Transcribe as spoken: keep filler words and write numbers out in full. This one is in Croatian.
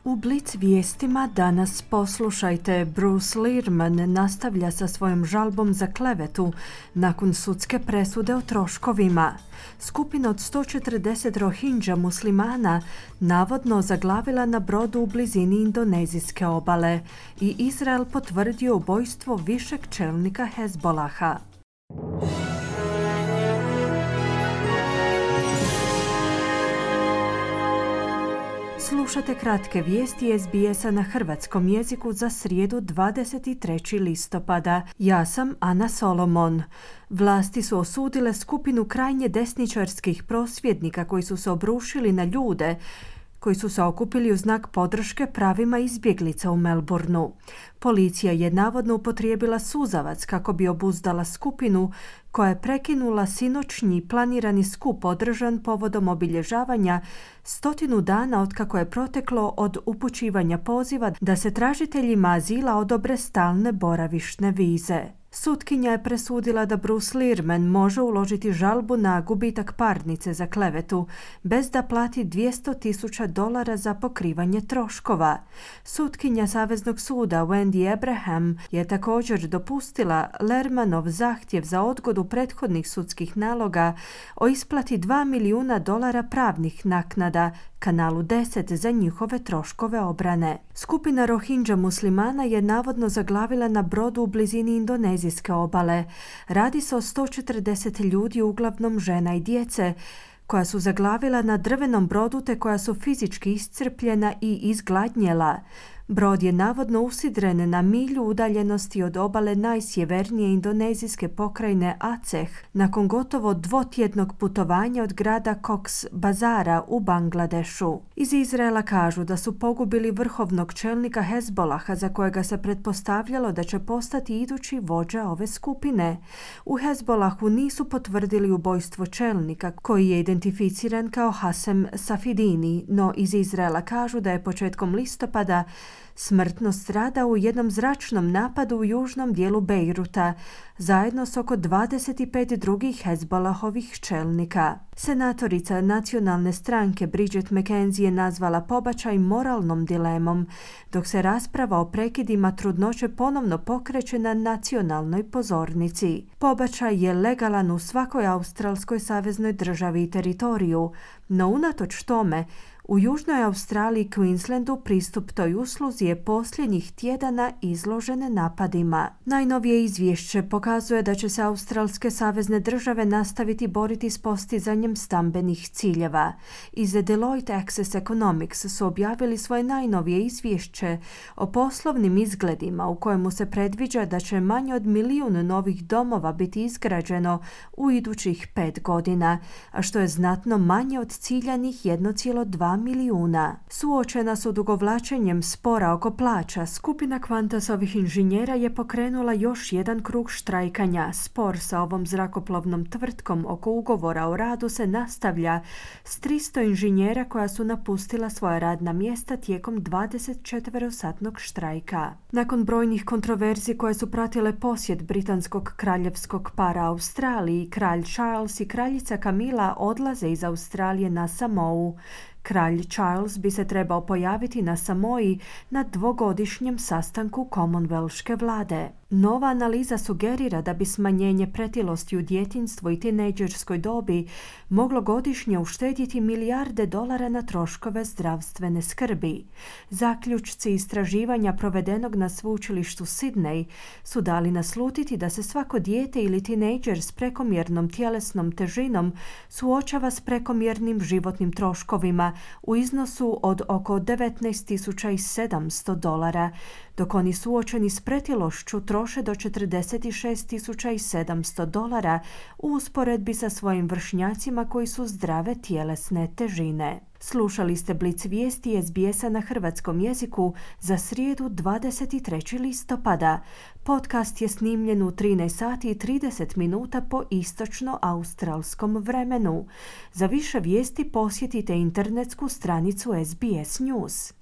U Blic vijestima danas poslušajte. Bruce Lehrmann nastavlja sa svojom žalbom za klevetu nakon sudske presude o troškovima. Skupina od sto četrdeset Rohingya muslimana navodno zaglavila na brodu u blizini indonezijske obale i Izrael potvrdio ubojstvo višeg čelnika Hezbolaha. Slušate kratke vijesti es be esa na hrvatskom jeziku za srijedu dvadeset trećeg listopada. Ja sam Ana Solomon. Vlasti su osudile skupinu krajnje desničarskih prosvjednika koji su se obrušili na ljude koji su se okupili u znak podrške pravima izbjeglica u Melbourneu. Policija je navodno upotrijebila suzavac kako bi obuzdala skupinu koja je prekinula sinoćnji planirani skup održan povodom obilježavanja stotinu dana otkako je proteklo od upućivanja poziva da se tražiteljima azila odobre stalne boravišne vize. Sutkinja je presudila da Bruce Lehrmann može uložiti žalbu na gubitak parnice za klevetu bez da plati dvjesto tisuća dolara za pokrivanje troškova. Sutkinja Saveznog suda Wendy Abraham je također dopustila Lehrmannov zahtjev za odgodu prethodnih sudskih naloga o isplati dva milijuna dolara pravnih naknada Kanalu deset za njihove troškove obrane. Skupina Rohingya muslimana je navodno zaglavila na brodu u blizini indonezijske obale. Radi se o sto četrdeset ljudi, uglavnom žena i djece, koja su zaglavila na drvenom brodu te koja su fizički iscrpljena i izgladnjela. Brod je navodno usidren na milju udaljenosti od obale najsjevernije indonezijske pokrajine Aceh nakon gotovo dvotjednog putovanja od grada Cox Bazara u Bangladešu. Iz Izraela kažu da su pogubili vrhovnog čelnika Hezbolaha za kojega se pretpostavljalo da će postati idući vođa ove skupine. U Hezbolahu nisu potvrdili ubojstvo čelnika koji je identificiran kao Hasem Safidini, no iz Izraela kažu da je početkom listopada smrtno stradao u jednom zračnom napadu u južnom dijelu Bejruta, zajedno s oko dvadeset pet drugih Hezbolahovih čelnika. Senatorica nacionalne stranke Bridget McKenzie je nazvala pobačaj moralnom dilemom, dok se rasprava o prekidima trudnoće ponovno pokreće na nacionalnoj pozornici. Pobačaj je legalan u svakoj australskoj saveznoj državi i teritoriju, no unatoč tome, u Južnoj Australiji i Queenslandu pristup toj usluzi je posljednjih tjedana izložen napadima. Najnovije izvješće pokazuje da će se australske savezne države nastaviti boriti s postizanjem stambenih ciljeva. Iz Deloitte Access Economics su objavili svoje najnovije izvješće o poslovnim izgledima u kojemu se predviđa da će manje od milijun novih domova biti izgrađeno u idućih pet godina, a što je znatno manje od ciljanih jedan zarez dva milijuna. Suočena s odugovlačenjem spora oko plaća, skupina Qantasovih inženjera je pokrenula još jedan krug štrajkanja. Spor sa ovom zrakoplovnom tvrtkom oko ugovora o radu se nastavlja s tristo inženjera koja su napustila svoja radna mjesta tijekom dvadesetčetverosatnog štrajka. Nakon brojnih kontroverzi koje su pratile posjet britanskog kraljevskog para Australiji, kralj Charles i kraljica Camilla odlaze iz Australije na Samou. Kralj Charles bi se trebao pojaviti na Samoji na dvogodišnjem sastanku Commonwealthske vlade. Nova analiza sugerira da bi smanjenje pretilosti u djetinjstvu i tinejdžerskoj dobi moglo godišnje uštedjeti milijarde dolara na troškove zdravstvene skrbi. Zaključci istraživanja provedenog na sveučilištu Sydney su dali naslutiti da se svako dijete ili tinejdžer s prekomjernom tjelesnom težinom suočava s prekomjernim životnim troškovima u iznosu od oko devetnaest tisuća sedamsto dolara, dok oni suočeni s pretilošću troše do četrdeset šest tisuća sedamsto dolara u usporedbi sa svojim vršnjacima koji su zdrave tjelesne težine. Slušali ste Blic vijesti es be esa na hrvatskom jeziku za srijedu dvadeset trećeg listopada. Podcast je snimljen u trinaest sati i trideset minuta po istočno-australskom vremenu. Za više vijesti posjetite internetsku stranicu es be es News.